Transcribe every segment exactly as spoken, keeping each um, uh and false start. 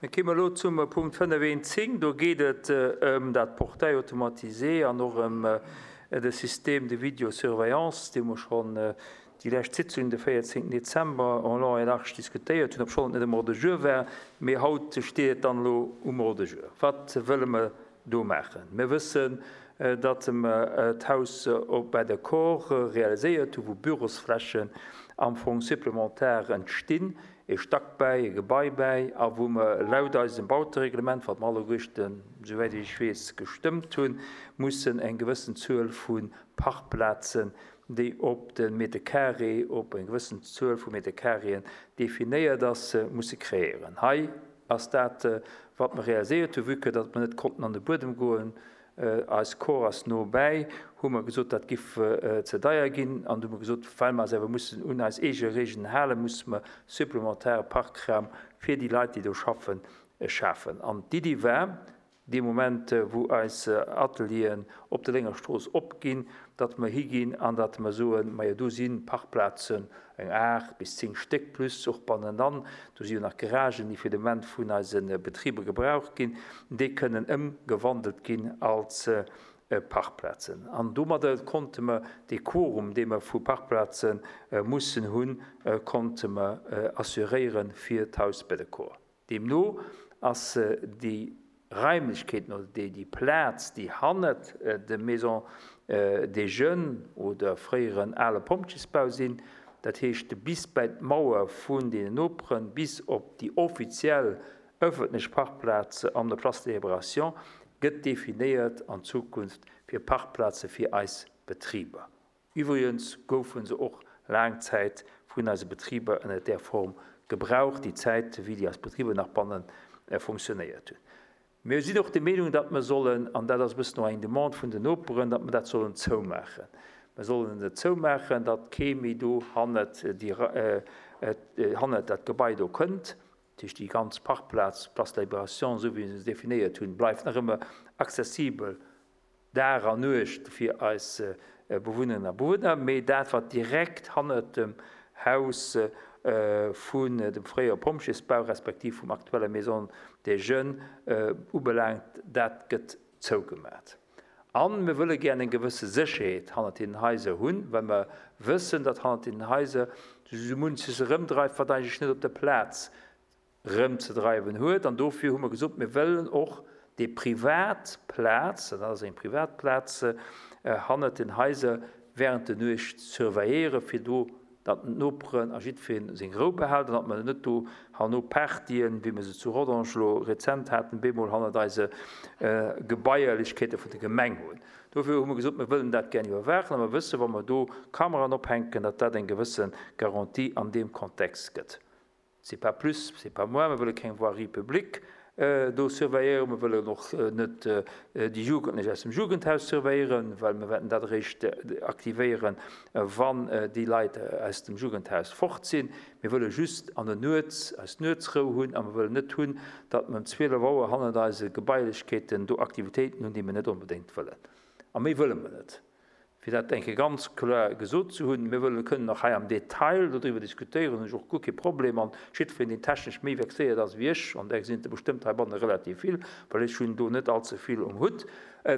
Mir kéime elo zum Punkt fënnef eent zéng. Do geet et ëm dat Portail automatisé an och ëm de Système de vidéosurveillance, dee mer schonn déi lescht Sitzung, de véierzéngten Dezember, en long et large diskutéiert hunn, obschonn et net um Ordre du jour war. Mee haut steet et dann elo um Ordre du jour. Wat wëlle mer do maachen? Mir wëssen, datt mer d'Haus op bei de Corps realiséiert hunn, wou Bürosflächen am Fong supplémentaire entstinn, e Stack bäi, e Gebai bäi, a wou mer laut eisem Bautereglement, wat mer alleguerten, souwäit ech weess, gestëmmt hunn, mussen eng gewëssen Zuel vu Parkplazen, déi op de Meter carré, op eng gewëssen Zuel vu Meter carréen definéiert ass, musse kreéieren. Hei ass dat, wat mer realiséiert hunn, vue que datt mer net konnten an de Buedem goen, eis Kor ass no bäi, hu mer gesot, dat giff ze deier ginn, an du hu mer gesot, well mer eis awer mussen un eis eege Regeln halen, musse mer supplementare Parkraum fir déi Leit, déi do schaffen, schafen. An d'Iddi war, dee Moment, wou eis Atelieren op der Léngerstrooss opginn, datt mer higinn an datt mer soen, majo do si Parkplazen, eng aacht bis zéng Stéck plus och bannenan, do si jo nach Garagen, déi fir de Moment vun eise Betriber gebraucht ginn, déi kënnen ëmgewandelt ginn als Parkplazen. An domadder konnte mer dee Quorum, dee mer vu Parkplaze mussen hunn, konnte mer assuréiere fir d'Haus Beddecourt. Deemno ass déi Raimlechkeeten oder déi déi Plaz, déi hannert der Maison des Jeunes oder fréieren ale Pompjeesbau sinn, dat heescht bis bäi d'Mauer vun deenen Noperen, bis op déi offiziell ëffentlech Parkplaz an der Place de Libération, gëtt definéiert an Zukunft fir Parkplaze fir eis Betriber. Iwwregens goufe se och laang Zäit vun eise Betriber ënner där Form gebraucht, déi Zäit, wéi déi eis Betriber nach banne funktionéiert hunn. Mir sinn och der Meenung, datt mer sollen, an dat ass e bëssen och eng Demande vun den Noperen, datt mer dat sollen zoumaachen. Mer sollen et zoumaachen, datt kee méi do hannert déi, hannert dat Gebai do kënnt. Dat heescht, déi ganz Parkplaz, Place de la Libération, esou wéi mir se definéiert hunn, bleift nach ëmmer accessibel Dag an Nuecht fir eis Bewunnerinnen a Bewunner. Mee dat, wat direkt hannert dem Haus vun dem fréiere Pompjeesbau respektiv vum aktuelle Maison des Jeunes ubelaangt, dat gëtt zougemat. A mir wëlle gär eng gewësse Sécherheet hannert deenen Haiser hunn, well mer wëssen, datt hannert deenen Haiser sou munches erëmdreift, wat eigentlech net op der Plaz erëmzedreiwen huet. An dofir hu mer gesot, mir wëllen och déi privat Plaz, dat ass eng privat Plaz, hannert den Haiser während der Nuecht surveilléieren, fir do, datt d'Noperen a jiddweree seng Rou behält an datt mer net do herno Partyen, wéi mer se zu Rodange elo rezent haten, bemol hannert eise Gebaierlechkeete vun der Gemeng hunn. Dofir hu mer gesot, mir wëllen dat gär iwwerwaachen a mer wëssen, wa mer do Kameraen ophänken, datt dat eng gewësse Garantie an deem Kontext gëtt. C'est pas plus, c'est pas moins. Mir wëlle keng Voirie publique do surveilléieren. Mir wëllen och net déi Jugendlech aus dem Jugendhaus surveilléieren, well mir wäerten dat eréischt aktivéieren, wann déi Leit aus dem Jugendhaus fort sinn. Mir wëlle just an der Nuets eis Nuetsrou hunn a mir wëllen net hunn, datt mer ëm zwielef Auer hannert eise Gebailechkeeten do Aktivitéiten hunn, déi mir net onbedéngt wëllen. A méi wëlle mer net. Fir dat eng Kéier ganz kloer gesot ze hunn, mir wëllen, kënnen nach hei am Detail dodriwwer diskutéieren, hunn ech och guer kee Problem, an jiddwereen, deen technesch méi vexéiert ass wéi ech, an där sinn et der bestëmmt heibanne relativ vill, well ech hunn do net allze vill um Hutt,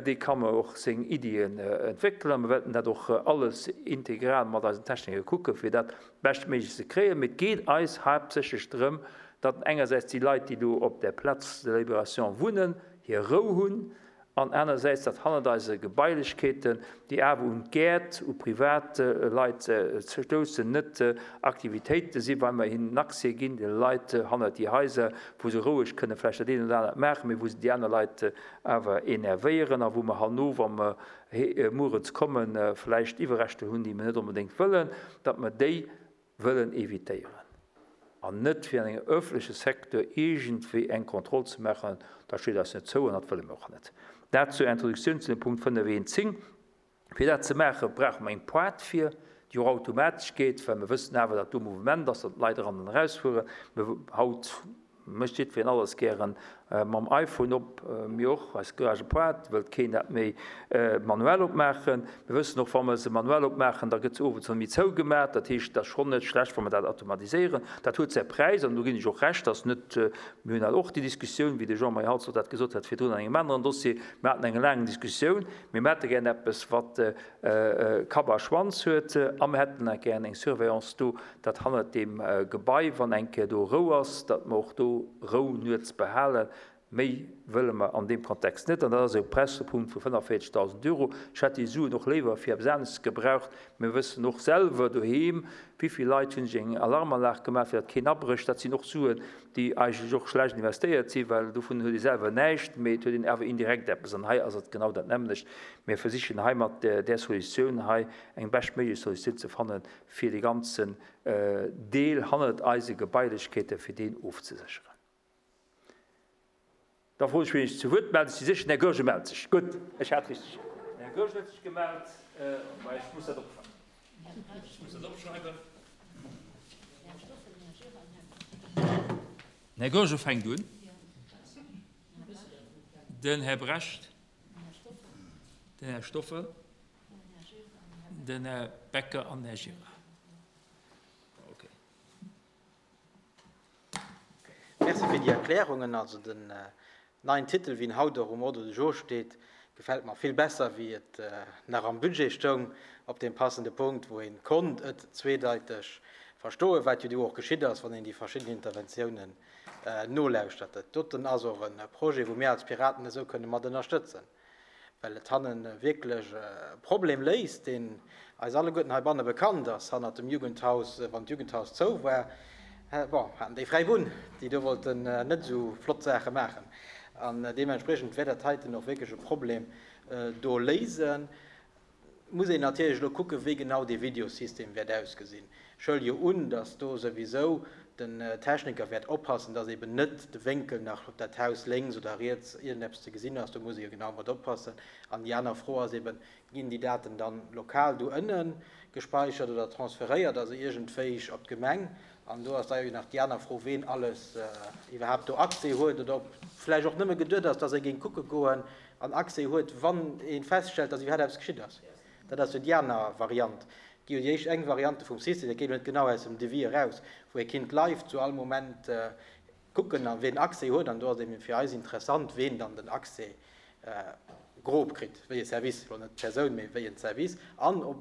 dee ka mer och seng Iddien entwéckelen a mir wäerten dat och alles integral mat eisen Techniker kucken, fir dat beschtméiglechst ze kréien. Mee et geet eis haaptsächlech drëm, datt engersäits déi Leit, déi do op där Place de la Libération wunnen, hir Rou hunn, an anersäits, datt hannert eise Gebailechkeeten, déi awer un d'Gäert, u privat Leit stoussen, net Aktivitéite sinn, well mer hinnen Accès ginn, de Leit hannert déi Haiser, wou se roueg kënne vläicht dat eent oder anert maachen, mee wou se déi aner Leit awer enervéieren a wou mer herno, wa mer muerens kommen, vläicht Iwwerreschter hunn, déi mer net onbedéngt wëllen, datt mer déi wëllen évitéieren an net fir an engem öffentleche Secteur iergendwéi eng Kontroll ze maachen, dat steet eis net zou an dat wëlle mer och net. Dat zur Introduktioun zu dem Punkt fënnef eent zéng. Fir dat ze maachen, brauche mer eng Pointe fir, déi och automatesch geet, well mer wëssen awer, datt do Mouvement ass, datt d'Leit eran an erausfueren. Mir haut mécht jiddwereen alles gären mam iPhone op. Mir och, eis Garage Pointe wëllt keen dat méi manuell opmaachen. Mir wëssen och, wa mer se manuell opmaachen, da gëtt se owes net méi zougemat. Dat heescht, et ass schonn net schlecht, wa mer dat automatiséieren. Dat huet säi Präis an do ginn ech och Recht, dass net, mir hunn dat och déi Diskussioun, wéi de Jean-Marie Halsdorf dat gesot hat virdrun an engem aneren Dossier, mir haten eng laang Diskussioun, mir hätte gären eppes, wat Kapp a Schwanz huet a mir hätten nach gären eng Surveillance do, datt hannert deem Gebai, wann eng Kéier do Rou ass, datt mer och do Rou nuets behalen. Méi wëlle mer an deem Kontext net. An dat ass e Präispunkt vu fënnefvéierzegdausend Euro. Ech hätt déi Suen och léiwer fir eppes anescht gebraucht. Mir wëssen och selwer doheem, wéi vill Leit hunn sech eng Alarmanlag gemaach, fir datt keen abrécht. Dat sinn och Suen, déi eigentlech och schlecht investéiert sinn, well dovun huet ee selwer näischt, mee et huet een awer indirekt eppes. An hei ass et genau dat nämmlecht. Mir versichen hei mat där Solutioun hei eng beschtméiglech Solutioun ze fannen, fir dee ganzen Deel hannert eise Gebailechkeete fir deen ofzesécheren. Da froen ech, wien sech zu Wuert mellt. Ech si sécher, den Här Goergen mellt sech. Gutt, ech hat richteg. Den Här Goergen huet sech gemellt. Mä ech muss dat opschreiwen. Ech muss dat opschreiwen. Den Här Goergen fänkt un. Den Här Brecht. Den Här Stoffel. Den Här Becker an den Här Gira. Okay. Merci fir déi Erklärungen. Also den neien Titel, wéi en haut och um Ordre du jour steet, gefält mer vill besser, wéi et nach am Budget stoung, op deem passende Punkt, wou ee konnt et zweedeiteg verstoen, wat jo do och geschitt ass, wann een déi verschidden Interventiounen nolauschtert. Dat doten ass och e Projet, wou mir als Piraten esou kënne mat ënnerstëtzen, well et hannen wierklech e Problem léist, deen eis alleguerten heibanne bekannt ass, hannert dem Jugendhaus, wann d'Jugendhaus zou war, bon, haten déi fräi Bunn, déi do wollten net esou flott Saache maachen. An deementspriechend wäert dat heiten och wierklech e Problem do léisen. Muss een natierlech elo kucken, wéi genau dee Videosystem wäert ausgesinn. Ech huele jo un, dass do souwisou den Techniker wäert oppassen, dass eben net de Wénkel nach op dat Haus lénks oder riets iergendeppes ze gesinn ass. Do muss ee jo genau mat oppassen. An déi aner Fro ass eben, Ginn déi Daten dann lokal do ënne gespeichert oder transferéiert, also iergendwéi op d'Gemeng? An do ass da jo nach déi aner Fro, ween alles iwwerhaapt do Accès huet oder ob vläicht och nëmme geduet ass, dass ee géing kucke goen an Accès huet, wann ee feststellt, dass iwwerhaapt eppes geschitt ass. Dat ass jo déi aner Variant. Et gi jo déi éischt eng Variante vum System, dat geet elo net genau aus dem Devis eraus, wou ee kinnt live zu all Moment kucken a ween Accès huet. An do ass eben fir eis interessant, ween dann den Accès grob kritt, wéi e Service, elo net d'Persoun, mee wéi en Service, an ob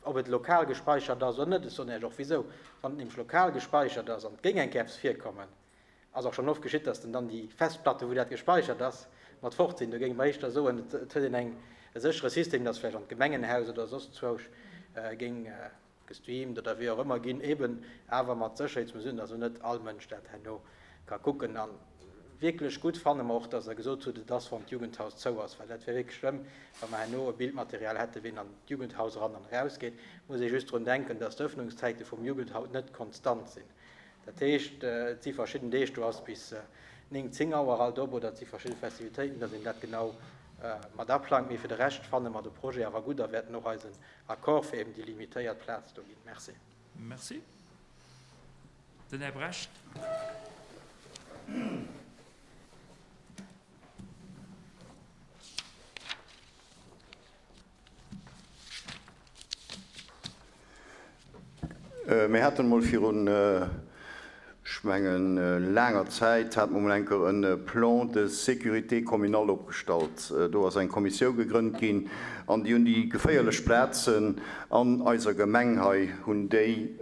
ob et lokal gespeichert ass oder net. Ech soen Iech och wisou. Wann et nämlech lokal gespeichert ass an et géing eng Kéier eppes virkommen, ass och schonn oft geschitt, dass dann déi Festplatte, wou dat gespeichert ass, mat fort sinn. Do géinge mer éischter soen, et huet een eng e séchere System, dass vläicht an d'Gemengenhaus oder soss zwousch géing gestreamt oder wéi och ëmmer ginn, eben awer mat Sécherheetsmesuren, dass elo net all Mënsch dat herno ka kucken. A wierklech gutt fanne mer och, dass Der gesot hutt, et ass, wann d'Jugendhaus zou ass, well dat wär wierklech schlëmm, wa mer herno e Bildmaterial hätten, ween an d'Jugendhaus eran an erausgeet. Muss ee just drun denken, dass d'Öffnungszäite vum Jugendhaus net konstant sinn. Dat heescht, et si verschidden Deeg, do ass bis néng, zéng Auer alt op oder et si verschidde Festivitéiten, dass een dat genau mat aplangt. Mee fir de Rescht fanne mer de Projet awer gutt a wäerten och eisen Accord fir eben déi limitéiert Plaz do ginn. Merci. Merci. Den Här Brecht. Mir haten emol virun, ech mengen, laanger Zäit, hate mer emol eng Kéier e Plan de sécurité communale opgestallt. Do ass eng Kommissiou gegrënnt ginn an déi hunn déi geféierlech Plazen an eiser Gemeng hei, hunn déi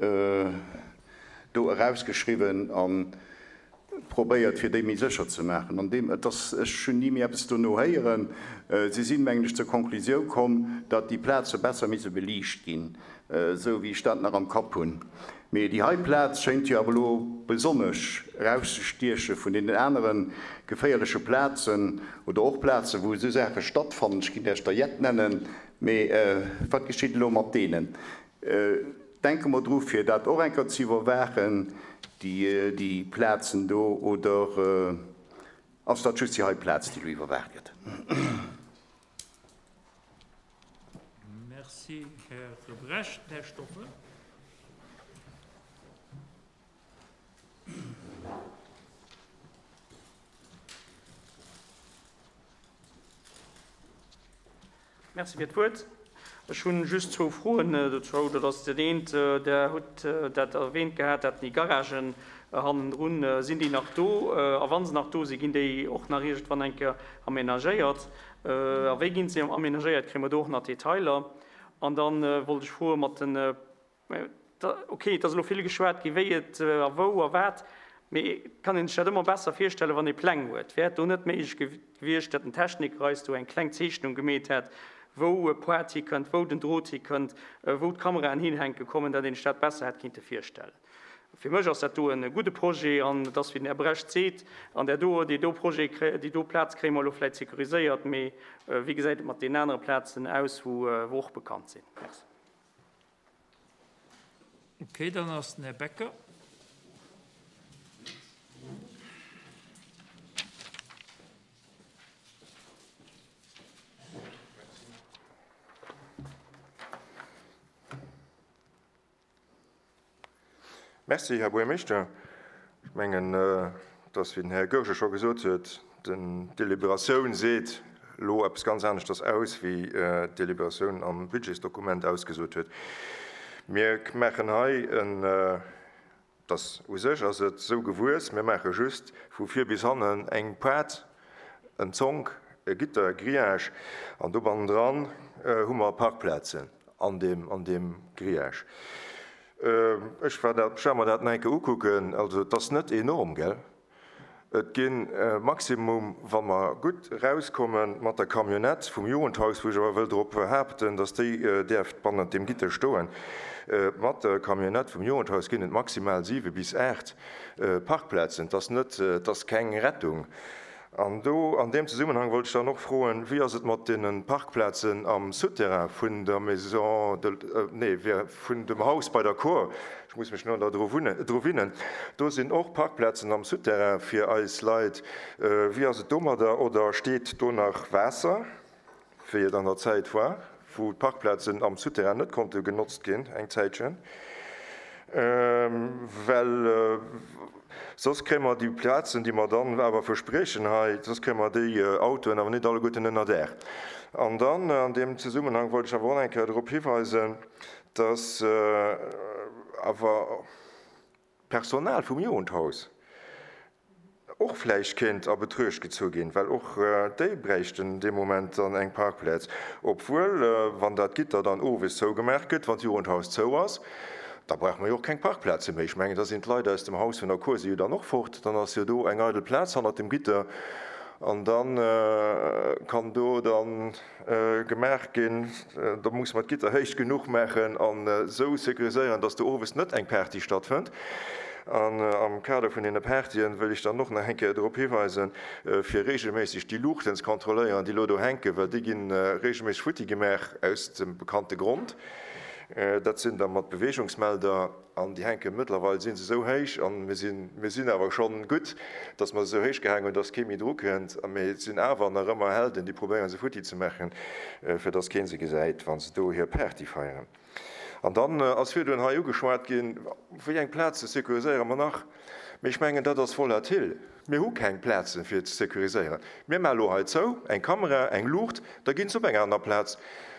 do erausgeschriwwen a probéiert, fir déi méi sécher ze maachen. An deem, et ass, ech hunn ni méi eppes dono héieren. Si sinn, mengen ech, zur Konklusioun komm, datt déi Plaze besser misse beliicht ginn, esou wéi ech dat nach am Kapp hunn. Mee déi hei Plaz schéint jo awer elo besonnesch erauszestieche vun deenen anere geféierleche Plazen oder och Plazen, wou esou Saache stattfannen. Ech kéint Iech der jett nennen, mee wat geschitt elo mat deenen? Denke mer dru fir dat och eng Kéier ze iwwerwaachen, déi Plazen do, oder ass dat just déi hei Plaz, déi elo iwwerwaacht gëtt? Merci, Här Brecht. Här Stoffel. Merci fir d'Wuert. Ech hunn just zwou Froen dozou. Dat ass dat eent, Der hutt dat erwähnt gehat, dat déi Garagen hannendrun, sinn déi nach do? A wa se nach do sinn, ginn déi och nach iergendwann eng Kéier amenagéiert? A wéi ginn se amenagéiert? Kréie mer do och nach Detailer? An dann wollt ech froe mat den, okay, et ass elo vill geschwat gi wéi et a wou a wat, mee et kann een sech dat ëmmer besser virstellen, wann ee Pläng huet. Wär et do net méiglech gewiescht, datt den Techniker eis do eng kleng Zeechnung gemeet hätt, wou e Poart hikënnt, wou den Drot hikënnt, wou d'Kameraen hinhänke kommen, datt een sech dat besser hätt kinnte virstellen? Fir mech ass dat do e gudde Projet an et ass, wéi den Här Brecht seet, an där do, déi do Projet, déi do Plaz kréie mer elo vläicht sécuriséiert, mee wéi gesäit et mat deenen anere Plazen aus, wou och bekannt sinn? Merci. Okay, dann ass den Här Becker. Merci, Här Buergermeeschter. Ech mengen, dass, wéi den Här Goergen scho gesot huet, d'Deliberatioun seet elo eppes ganz aneschters aus, wéi d'Deliberatioun am Budgetsdokument ausgesot huet. Mir maachen hei en, dass u sech ass et esou gewuess, mir maache just vu vir bis hannen eng Paart, en Zonk, e Gitter, e Grillage, an do bannendran hu mer Parkplazen an deem, an deem Grillage. Ech war dat, ech war mer dat nach eng Kéier ukucken, also et ass net enorm, gell? Et gi maximum, wa mer gutt erauskommen mat der Camionnette vum Jugendhaus, wou ech awer wëll drop behaapten, datt déi däerft bannent deem Gitter stoen, mat der Camionnette vum Jugendhaus ginn et maximal siwe bis aacht Parkplazen. Et ass net, et ass keng Rettung. An do, an deem Zesummenhang wollt ech dann och froen, wéi ass et mat deene Parkplazen am Souterrain vun der Maison de, nee, vun dem Haus bei der Cour, ech muss mech no dru winnen, do sinn och Parkplazen am Souterrain fir eis Leit. Wéi ass et domadder? Oder steet do nach Waasser, wéi et an der Zäit war, wou d'Parkplazen am Souterrain net konnte genotzt ginn, eng Zäitchen? Well soss kréie mer déi Plazen, déi mer dann awer verspriechen hei, soss kréie mer déi Autoen awer net alleguerten ënner Daach. An dann an deem Zesummenhang wollt ech awer och eng Kéier drop hiweisen, dass awer d'Personal vum Jugendhaus och vläicht kéint a Betruecht gezu ginn, well och déi bräichten dee Moment dann eng Parkplaz. Obwuel, wann dat Gitter dann owes zougemaach gëtt, wann d'Jugendhaus zou ass, da brauche mer jo och keng Parkplaze méi. Ech mengen, da sinn d'Leit aus dem Haus vun der Cour si jo dann och fort, dann ass jo do eng eidel Plaz hannert dem Gitter an dann kann do dann gemaach ginn, da muss mer d'Gitter héich genuch maachen an esou sécuriséieren, dass do owes net eng Party stattfënnt. An am Kader vun deene Partyen wëll ech dann och nach eng Kéier drop hiweisen, fir regelméisseg déi Luuchten ze kontrolléieren, déi elo do hänken, well déi ginn regelméisseg futti gemaach aus dem bekannte Grond. Dat sinn da mat Beweegungsmelder an déi hänke mëttlerweil si se esou héich an mir sinn, mir sinn awer schonn gutt, dass mer se esou héich gehaangen hunn, dass kee méi dru kënnt. Mee et sinn awer nach ëmmer Helden, déi probéieren se futti ze maachen, fir dass kee se gesäit, wa se do hir Party feieren. An dann ass virdrun hei ugeschwat ginn, wéi eng Plaze sécuriséiere mer nach? Mee ech mengen, dat ass volatil. Mir hu keng Plaze fir ze sécuriséieren. Mir maache elo hei zou, eng Kamera, eng Luucht, da ginn se op eng aner Plaz.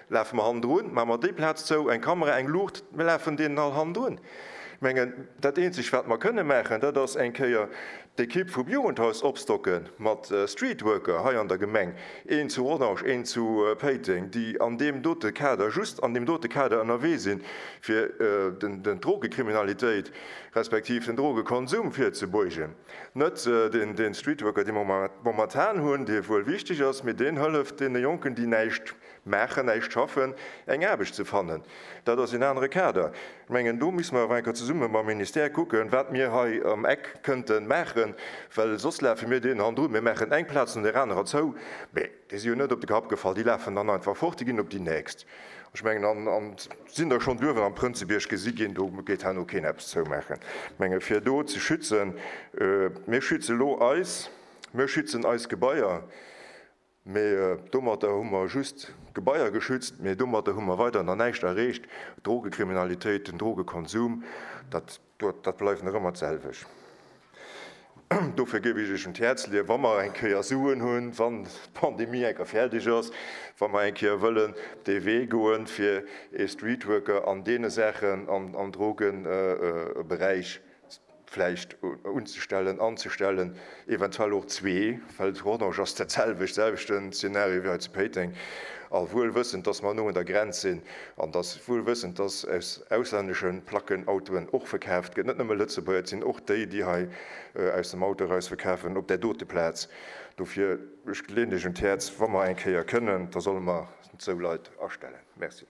Lafe mer hannendrun, maache mer déi Plaz zou, eng Kamera, eng Luucht, mir lafen deenen all hannendrun. Ech mengen, dat Eenzegt, wat mer kënne maachen, dat ass eng Kéier d'Ekipp vum Jugendhaus opstocke mat Streetworker hei an der Gemeng, een zu Rodange, een zu Péiteng, déi an deem dote Kader, just an deem dote Kader ënnerwee sinn, fir den Drogekriminalitéit respektiv den Drogekonsum virzebeugen. Net den Streetworker, dee mer momentan hunn, dee wuel wichteg ass, mee deen hëlleft deene Jonken, déi näischt maachen, näischt schaffen, eng Aarbecht ze fannen. Dat ass en anere Kader. Ech mengen, do müsse mer awer eng Kéier zesumme mam Ministère kucken, wat mir hei am Eck kënnten maachen, well soss lafe mir deenen hannendrun. Mir maachen eng Plaz no där anerer zou, mee déi si jo net op de Kapp gefall, déi lafen dann einfach fort, déi ginn op déi nächst. Ech mengen, an, an sinn der schonn duerwen am Prënzebierg gesi ginn, do geet herno keen eppes zoumaachen. Ech menge fir do ze schützen, mir schütze lo eis, mir schützen eis Gebaier, mee domatter hu mer just Gebaier geschützt, mee domatter hu mer weider nach näischt erreecht. D'Drogekriminalitéit, den Drogekonsum, dat, dat bleift nach ëmmer d'selwecht. Dofir géif ech Iech un d'Häerz leeën, wa mer eng Kéier Suen hunn, wann d'Pandemie eng Kéier fäerdeg ass, wa mer eng Kéier wëllen dee Wee goen, fir ee Streetworker an deene Saachen am Drogenberäich vläicht unzestellen, anzestellen, eventuell och zwee, well zu Rodange ass dat selwecht, selwechten Szenario wéi hei zu Péiteng, a wuel wëssend, dass mer no un der Grenz sinn an dass, wuel wëssend, dass aus auslännesche Placken Autoen och verkaaft gëtt, net nëmme Lëtzebuerger, et sinn och déi, déi hei aus dem Auto eraus verkafen op där dote Plaz. Dofir, ech leeën lech un d'Häerz, wa mer eng Kéier kënnen, da solle mer esou Leit astellen. Merci.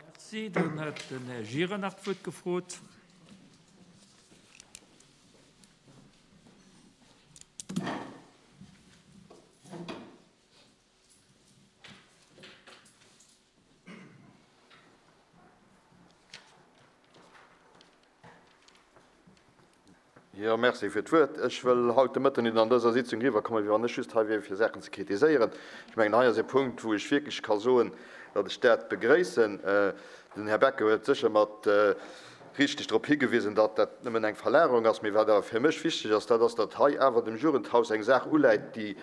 Merci. Dann huet den Här Gira nach d'Wuert gefrot. Jo, merci fir d'Wuert. Ech wëll haut de Mëtten net an dëser Sitzung eriwwerkommen, wéi wann ech just hei wier, fir Saachen ze kritiséieren. Ech mengen, hei ass e Punkt, wou ech wierklech ka soen, datt ech dat begréissen. Den Här Becker huet sécher mat richteg drop higewisen, datt dat nëmmen eng Verlagerung ass. Mee wat awer fir mech wichteg ass, dat ass, datt hei awer dem Jugendhaus eng Saach uläit, déi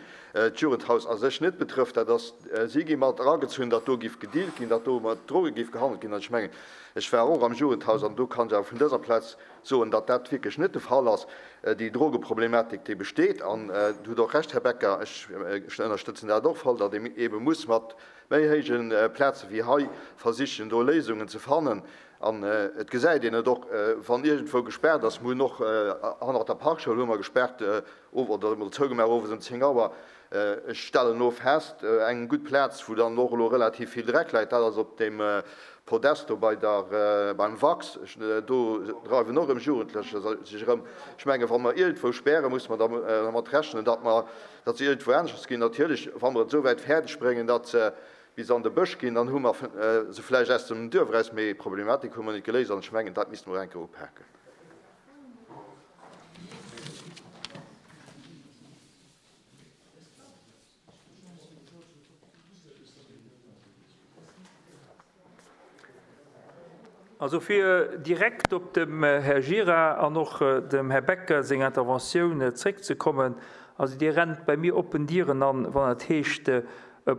d'Jugendhaus a sech net betrëfft. Dat ass, si gi mat eragezunn, datt do géif gedealt ginn, datt do mat Droge géif gehandelt ginn. An ech mengen, ech war och am Jugendhaus an do kann ech awer vun dëser Plaz soen, datt dat wierklech net de Fall ass. Déi Drogeproblematik, déi besteet, an Dir hutt och Recht, Här Becker, ech ënnerstëtzen dat och voll, datt ee eebe muss mat méi héije Plaze wéi hei versichen, do Léisungen ze fannen. An et gesäit een et och, wann iergendwou gespaart ass. Mir hunn och hannert der Parkschoul hu mer gespaart oder emol zougemaach owes ëm zéng Auer. Ech stellen elo fest, eng gutt Plaz, wou dann och elo relativ vill Dreck läit, dat ass op deem Podest do bei der, beim Wachs. Do dreiwen och erëm Jugendlecher sech erëm. Ech mengen, wa mer iergendwou spären, musse mer dermat rechnen, datt mer, datt se iergendwou aneschters ginn. Natierlech, wa mer et esou wäit fäerdeg bréngen, datt se bis an de Bësch ginn, dann hu mer se vläicht aus dem Duerf eraus, mee d'Problematik hu mer net geléist an ech mengen, dat misste mer och eng Kéier upaken. Also fir direkt op dem Här Gira an och dem Här Becker seng Interventioun zréckzekommen, also Dir rennt bei mir oppen Dieren an, wann et heescht, e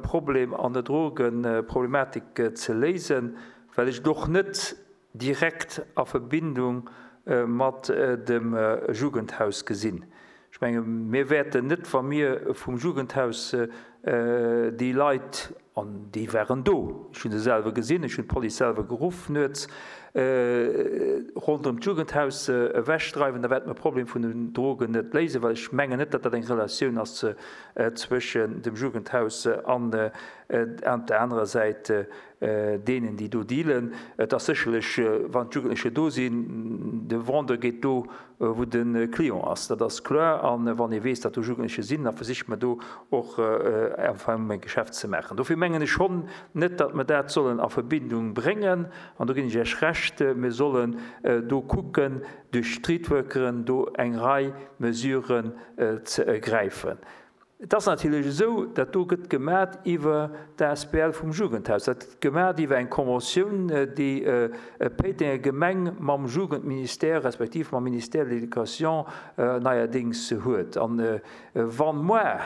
Problem an der Drogenproblematik ze léisen, well ech et och net direkt a Verbindung mat dem Jugendhaus gesinn. Ech menge mir wäerten net, wa mir vum Jugendhaus déi Leit, an déi waren do, ech hunn se selwer gesinn, ech hunn d'Police selwer geruff nuets, ronderëm d'Jugendhaus ewechdreiwen, da wäerte mer d'Problem vun den Drogen net léisen, well ech mengen net, datt dat eng Relatioun ass zwëschen dem Jugendhaus an op der anerer Säit deenen, déi do dealen. Et ass sécherlech, wann d'Jugendlecher do sinn, de Vendeur geet do, wou de Client ass, dat ass kloer. A wann ee weess, datt do Jugendlecher sinn, da versicht man do och einfach e Geschäft ze maachen. Dofir mengen ech schonn net, datt mer dat sollen a Verbindung bréngen. An do ginn ech Iech Recht, mir sollen do kucken, duerch Streetworkeren do eng Rei Mesuren ze ergräifen. Et ass natierlech esou, dat do gëtt gemat iwwer d'A S B L vum Jugendhaus. Dat gëtt gemat iwwer eng Konventioun, déi d'Péitenger Gemeng mam Jugendministère respektiv mam Ministère de l'Éducation neierdéngs huet. An wann moi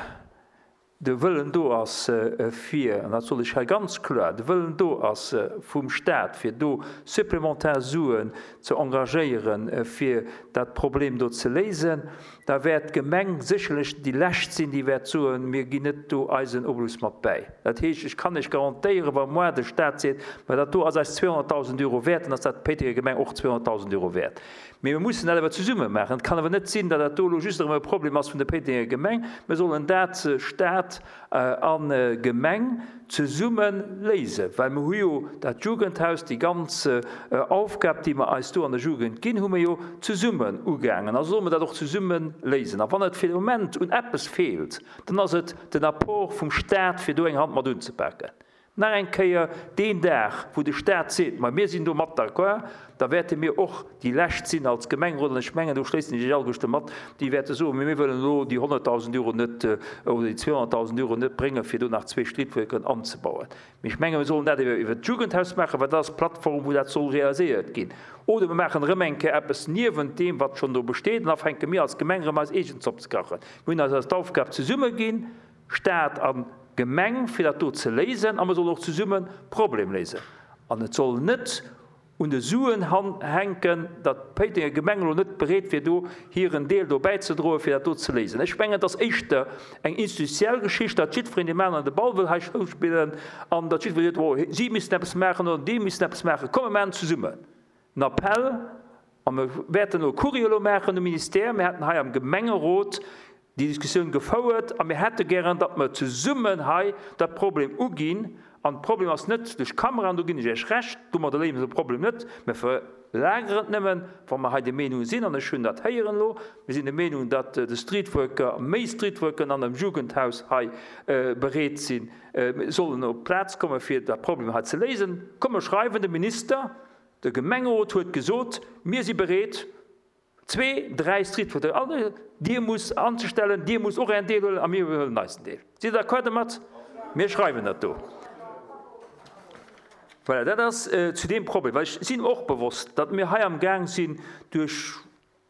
de Wëllen do ass fir, an dat soll ech hei ganz kloer, de Wëllen do ass vum Staat, fir do supplementar Suen ze engagéieren, fir dat Problem do ze léisen, da wäert d'Gemeng sécherlech déi Lescht sinn, déi wäert soen, mir ginn net do eisen Obolus mat bäi. Dat heescht, ech kann lech garantéieren, wa moi de Staat seet, ma dat do ass eis zweehonnerttausend Euro wäert, dann ass dat d'Péitenger Gemeng och zweehonnerttausend Euro wäert. Mee mir mussen dat awer zesumme maachen. Et kann awer net sinn, datt dat do elo just erëm e Problem ass vun der Péitenger Gemeng. Mir sollen dat Staat an Gemeng zesumme léisen, well mir hu jo dat Jugendhaus, déi ganz Aufgab, déi mer eis do an der Jugend ginn, hu mir jo zesummen ugaangen. Also solle mir dat och zesumme léisen. A wann et fir de Moment un eppes feelt, dann ass et den Apport vum Staat, fir do eng Hand mat unzepaken. Nach eng Kéier, deen Dag, wou de Staat seet, ma mir sinn do mat d'accord, da wäerte mir och déi Lescht sinn als Gemengerot, an ech mengen, do schléissen ech Iech alleguerte mat, déi wäerte soen, mee mir wëllen elo déi honnertdausend Euro net oder déi zweehonnertdausend Euro net bréngen, fir do nach zwee Streetworkeren anzebauen. Mee ech menge mir sollen dat iwwer iwwert d'Jugendhaus maachen, well dat ass d'Plattform, wou dat soll realiséiert ginn. Oder mir maachen erëm eng Kéier eppes niewent deem, wat schonn do besteet, an da fänke mir als Gemeng erëm eis eegen Zopp ze kachen. Mir hunn eis eis d'Aufgab zesumme ginn, Staat a Gemeng, fir dat do ze léisen, a mer sollen och zesummen d'Problem léisen. An et soll net un de Suen hänken, datt d'Péitenger Gemeng elo net bereet wier, do hiren Deel do bäizedroen, fir dat do ze léisen. Ech mengen, et ass éischter eng institutiell Geschicht, datt jiddwereen deem aneren de Ball wëll hei zouspillen an datt jiddweree seet, oh, si missten eppes maachen oder dee missten eppes maachen. Komm, mir maachen zesummen en Appell a mir wäerten elo e Courrier elo maachen um Ministère. Mir haten hei am Gemengerot déi Diskussioun gefouert a mir hätte gären, datt mer zesummen hei dat Problem uginn. An de Problem ass net duerch Kameraen, do ginn ech Iech Recht, domadder léise mer de Problem net. Mir verlageren et nëmmen, wa mer hei der Meenung sinn, an ech hunn dat héieren elo, mir sinn der Meenung, datt de Streetworker, méi Streetworkeren an dem Jugendhaus hei bereet sinn, sollen op d'Plaz kommen, fir dat Problem hei ze léisen. Komm, mer schreiwen dem Minister, de Gemengerot huet gesot, mir si bereet, Zwee, dräi Streetfood, all Dir musst anzestellen, Dir musst och Ären Deel huelen a mir huelen eisen Deel. Sidd Der d'accord domat? Mir schreiwen dat do. Voilà, dat ass zu deem Problem. Well ech sinn och bewosst, datt mir hei am Gaang sinn, duerch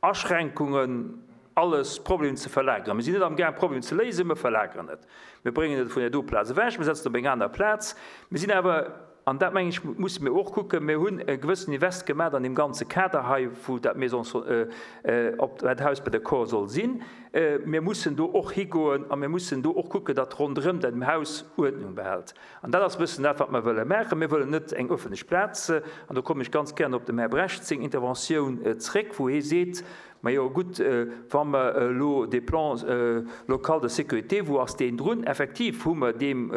Aschränkungen alles Problem ze verlageren. Mir sinn net am Gaang, Problem ze léisen, mir verlageren et. Mir bréngen et vun där do Plaz ewech, mir setzen et op eng aner Plaz. Mir sinn awer An dat, mengen ech, musse mir och kucken. Mir hunn e gewëssen Invest gemaach an deem ganze Kader hei, wou dat Maison op dat Haus bei der Kor soll sinn. Mir mussen do och higoen a mir mussen do och kucken, datt ronderëm dat Haus Uerdnung behält. An dat ass e bëssen dat, wat mer wëlle maachen. Mir wëllen net eng öffentlech Plaz, an do kommen ech ganz gären op dem Här Brecht seng Interventioun zréck, wou hie seet, Majo gutt, wa mer elo dee Plan local de sécurité, wou ass deen drun? Effektiv hu mer deem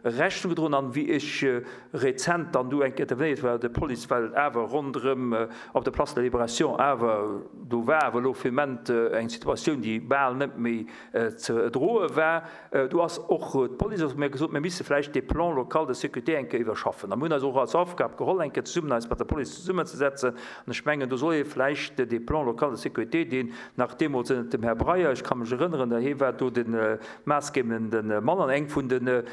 Rechnung gedroen an wéi ech rezent dann do eng Kéier intervenéiert war, de Police, well et awer ronderëm op der Place de la Libération awer, do war awer elo fir Moment eng Situatioun, déi bal net méi ze droe war, do ass och d'Police ass mir gesot, mir misse vläicht dee Plan local de sécurité eng Kéier iwwerschaffen. A mir hunn eis och als Aufgab geholl, eng Kéier zesummen eis mat der Police zesummenzesetzen an ech mengen, do soll ee vläicht dee Plan local de sécurité, deen nach deemools ënnert dem Här Breyer, ech ka mech erënneren, hie war do de maassgebende Mann an eng vun de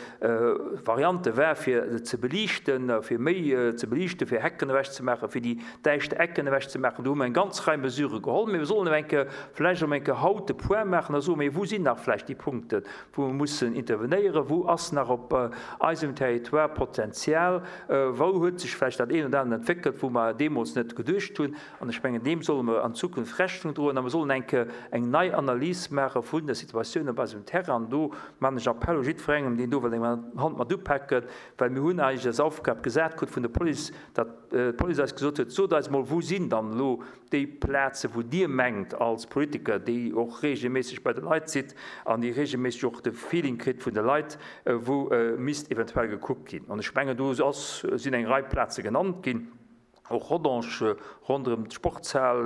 Variante war, fir ze beliichten, fir méi ze beliichten, fir Hecken ewechzemaachen, fir déi däischter Ecken ewechzemaachen. Do hu mer eng ganz Rei Mesurë geholl. Mee mir sollen eng Kéier vläicht och eng Kéier haut de Point maachen a soen, Mee wou sinn nach vläicht déi Punkten, wou mer mussen intervenéieren? Wou ass nach op eisem Territoire Potenzial? Wou huet sech vläicht dat eent oder anert entwéckelt, wou mer deemools net geduecht hunn? An ech mengen, deem solle mer an Zukunft Rechnung droen. A mer sollen eng Kéier eng nei Analys maache vun der Situatioun op eisem Terrain. An do maachen ech Appell u jiddwerengem, deen do wëll eng Hand mat upaken, well mir hunn eigentlech als Aufgab gesat krut vun der Police, datt d'Police eis gesot huet, Sot eis emol, wou sinn dann elo déi Plazen, wou Dir mengt als Politiker, déi och regelméisseg bei de Leit sidd an déi regelméisseg och de Feeling kritt vun de Leit, wou misst eventuell gekuckt ginn. An ech mengen, do ass, sinn eng Rei Plaze genannt ginn, och Rodange, ronderëm d'Sportshal,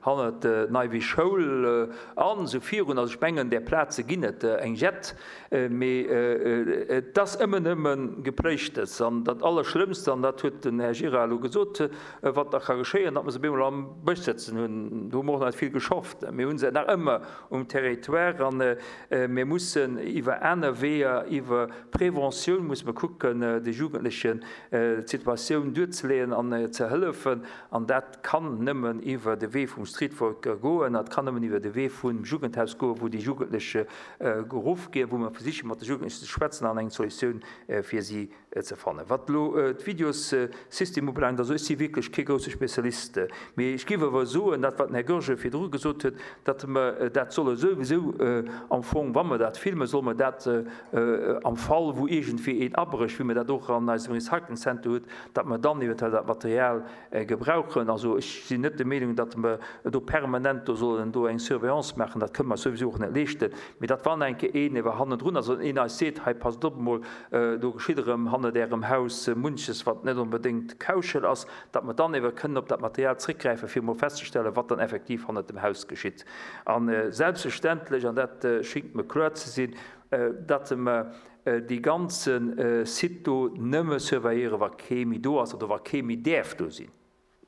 hannert d'Neiwiss Schoul an esou virun. Also ech mengen, där Plaze ginn et eng jett, mee et ass ëmmer nëmme Gepléischtes. An dat Allerschlëmmst, an dat huet den Här Gira elo gesot, wat da ka geschéien, datt mer se op eemol am Bësch sëtzen hunn. Do hu mer och nach net vill geschafft. Mir hu se nach ëmmer um Territoire a mir mussen iwwer aner Weeër, iwwer Preventioun musse mer kucken, de Jugendlechen d'Situatioun duerzeleeën an ze hëllefen. An dat kann nëmmen iwwer de Wee vum Streetworker goen, dat kann nëmmen iwwer de Wee vum Jugendhaus goen, wou déi Jugendlech geruff ginn, wou mer versichen, mat de Jugendlechen ze schwätzen an eng Solutioun fir si ze fannen. Wat elo d'Videossystem ubelaangt, also ech si wierklech kee grousse Spezialist, mee ech géif awer soen, dat wat den Här Goergen virdru gesot huet, datt mer dat solle souwisou am Fong, wa mer dat filmen, solle mer dat am Fall wou iergendwéi een abrécht, wéi mer dat och an eisem Recycling Center huet, datt mer dann eventuell dat Material gebrauchen. Also ech sinn net der Meenung, datt mer do permanent do sollen do eng Surveillance maachen, dat kënne mer souwisou och net leeschten, mee datt wann eng Kéier een ewer hannendrun ass an een eis seet, hei passt op emol, do geschitt erëm hannert Ärem Haus munches, wat net onbedéngt kauschel ass, datt mer dann ewer kënnen op dat Material zréckgräifen, fir emol festzestellen, wat dann effektiv hannert dem Haus geschitt. A selbstverständlech, an dat schéngt mer kloer ze sinn, datt mer dee ganze Site do nëmme surveilléiere wa kee méi do ass oder wa kee méi däerf do sinn.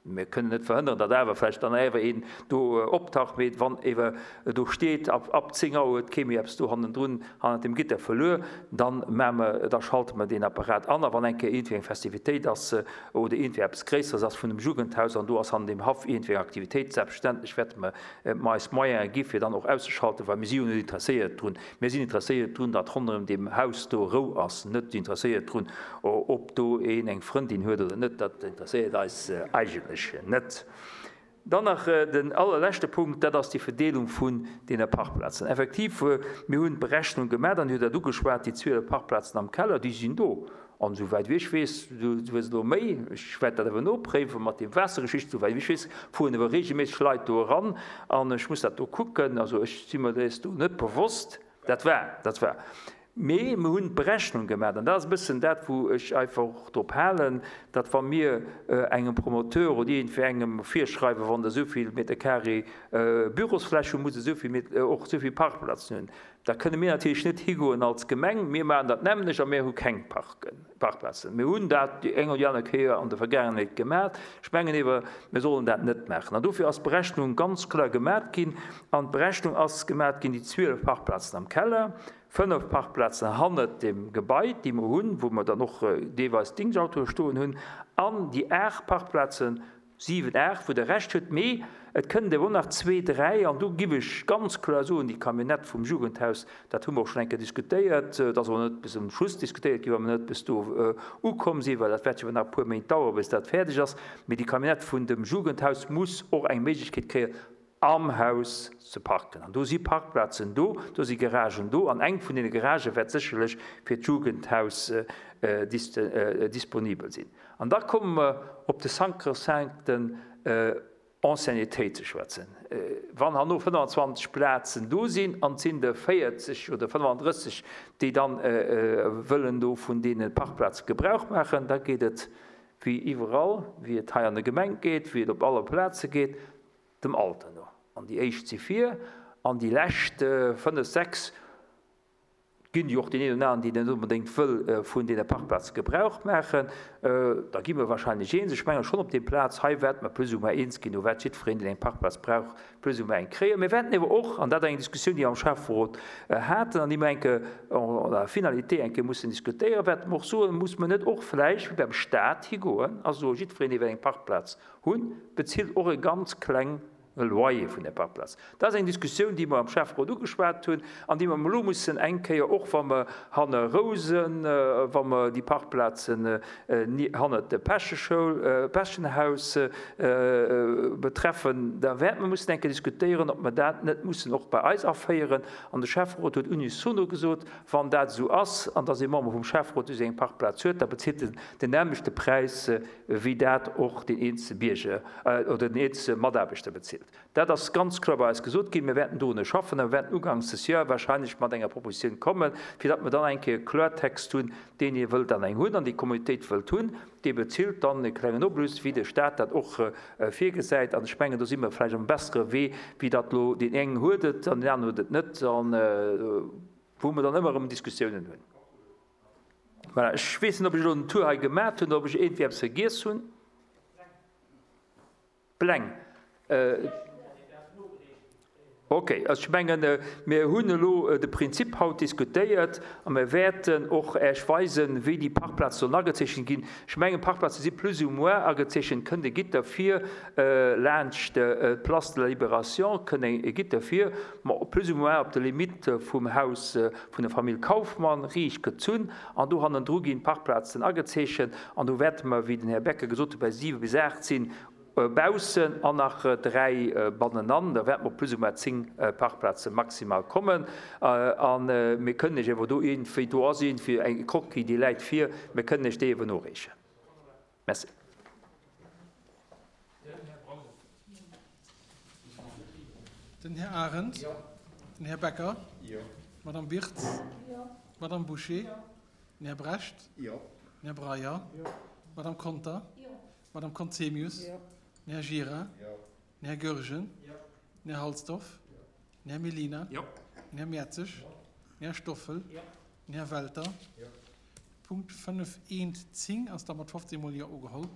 Mir kënnen net verhënnern, datt awer vläicht dann awer een do optaucht, mee wann ewer do steet, ab, ab zéng Auer huet kee méi eppes do hannendrun, hannert dem Gitter verluer, dann maache mer, da schalte mer deen Apparat an. A wann eng Kéier iergendwéi eng Festivitéit ass oder iergendwéi eppes Gréisseres ass vun dem Jugendhaus an do ass hannen dem Haff iergendwéi eng Aktivitéit, selbstverständlech wäerte mer mer eis Moyene gi fir dann och auszeschalten, well mir si jo net interesséiert drun. Mir sinn interesséiert drun, datt ronderëm deem Haus do Rou ass, net interesséiert drun, ob do een eng Frëndin huet oder net, dat interesséiert eis eigentlech net. Dann nach den allerleschte Punkt, dat ass déi Verdeelung vun deene Parkplazen. Effektiv, mir hunn d'Berechnung gemaach an Dir hutt dat ugeschwat, déi zwielef Parkplazen am Keller, déi sinn do. An esouwäit wéi ech weess, du hues elo méi, ech wäert dat awer nopréiwen mat deem Waassergeschicht, esouwäit wéi ech weess, fueren awer regelméisseg Leit do eran an ech muss dat do kucken, also ech si mer dees do net bewosst, dat war, dat war. Mee mir hunn d'Berechnung gemaach, an dat ass e bëssen dat, wou ech einfach och drop halen, datt wa mir engem Promoteur oder iergendwéi engem virschreiwen, wann Der esou vill Meter carré Bürosfläch hutt, musst Der esou vill, och esou vill Parkplazen hunn, Da kënne mir natierlech net higoen als Gemeng, mir maachen dat nämmlech a mir hu keng Parkplazen. Mir hunn dat déi eng oder déi aner Kéier an der Vergaangenheet gemaach. Ech mengen ewer, mir sollen dat net maachen. An dofir ass d'Berechnung ganz kloer gemaach ginn. An d'Berechnung ass gemaach ginn, déi zwielef Parkplazen am Keller, fënnef Parkplazen hannert dem Gebai, déi mer hunn, wou mer dann och deelweis Dingschtautoe stoen hunn, an déi aacht Parkplazen Siwen, aacht, wou Der Recht hutt, mee et kënnen der och nach zwee, dräi, an do giff ech ganz kloer soen, déi Camionnette vum Jugendhaus, dat hu mer och schonn eng Kéier diskutéiert, et ass awer net bis um Schluss diskutéiert ginn, well mer net bis do ukomm sinn, well dat wäert jo nach e puer Méint daueren, bis dat fäerdeg ass, mee déi Camionnette vun dem Jugendhaus muss och eng Méiglechkeet kréien, am Haus ze parken. An do si Parkplazen do, do si Garagen do, an eng vun deene Garagë wäert sécherlech fir d'Jugendhaus disponibel sinn. An da komme mer op de sancrosancten Anciennetéit ze schwätzen. Wann herno fënnfanzwanzeg Plazen do sinn an et sinn der véierzeg oder fënnefandrësseg, déi dann wëllen do vun deene Parkplaze Gebrauch maachen, da geet et wéi iwwerall, wéi et hei an der Gemeng geet, wéi et op alle Plaze geet, dem Alter no. An déi éischt si vir an déi lescht fënnef, sechs ginn jo och deen een oder aneren, deen net onbedéngt wëll vun deene Parkplaze Gebrauch maachen. Da gi mer wahrscheinlech eens. Ech menge schonn, op deem Plaz hei wäerte mer plus ou moins eens ginn. Do wäert jiddwereen, deen eng Parkplaz brauch, plus ou moins eng kréien. Mir wäerten ewer och, an dat ass eng Diskussioun, déi mer am Schäfferot haten an déi mer eng Kéier en la finalité eng Kéier mussen diskutéieren, wäerte mer och soen, Muss mer net och vläicht wéi beim Stat higoen a soen, jiddwereen, dee wëll eng Parkplaz hunn, bezilt och e ganz kleng E Loyer vun der Parkplaz. Dat ass eng Diskussioun, déi mer am Schäfferot ugeschwat hunn an déi mer elo mussen eng Kéier, och wa mer hanne Rousen, wa mer déi Parkplazen hannert der Päscheschoul, Päschenhaus betreffen, da wäerte mer mussen eng Kéier diskutéieren, ob mer dat net mussen och bei eis aféieren. An de Schäfferot huet unisono gesot, wann dat esou ass, an dass ee Member vum Schäfferot esou eng Parkplaz huet, da bezilt en den nämmlechte Präis wéi dat och deen eenzelne Bierger oder den eenzelne Mataarbechter bezilt. Dat ass ganz kloer bei eis gesot ginn. Mir wäerten dorunner schaffen a mir wäerten ugangs des Joer wahrscheinlech mat enger Propositioun kommen, fir datt mer dann eng Kéier e Kloertext hunn, Deen, dee wëllt dann eng hunn an déi Communautéit wëllt hunn, dee bezilt dann e klengen Obolus, wéi de Stat dat och virgesäit. An ech mengen, do si mer vläicht um bessere Wee, wéi datt elo deen eng huet et an deen aneren huet et net, an wou mer dann ëmmer erëm Diskussiounen hunn. Voilà, ech weess net, ob ech elo den Tour hei gemat hunn oder ob ech iergendwéi eppes vergiess hunn. Pläng. Okay, also ech mengen, mir hunn elo de Prinzip haut diskutéiert a mir wäerten och Äech weisen, wéi déi Parkplaze sollen agezeechent ginn. Ech mengen, d'Parkplaze si plus ou moins agezeechent, kënnt e Gitter vir laanscht d'Place de la Libération, kënnt e Gitter vir, ma plus ou moins op der Limite vum Haus vun der Famill Kauffmann riicht gezunn an do hannendru ginn d'Parkplazen agezeechent an do wäerte mer, wéi den Här Becker gesot huet, bei siwe bis aacht sinn baussen an nach dräi bannenan. Da wäerte mer op plus ou moins zéng Parkplaze maximal kommen a mir kënnen Iech awer do iergendwéi, do ass iergendwéi eng Croquis, déi läit vir, mir kënnen Iech déi ewer noreechen. Merci. Den Här Arendt. Den Här Becker. D'Madame Wirtz. D'Madame Bouché. Den Här Brecht. Den Här Breyer. D'Madame Conter. D'Madame Conzemius. Den Här Gira. Den Här Goergen. Den Här Halsdorf. Den Här Mellina. Den Här Mertzig. Den Här Stoffel? Den Här Welter? Punkt fënnef eent zéng ass da mat fofzéng mol Jo ugeholl.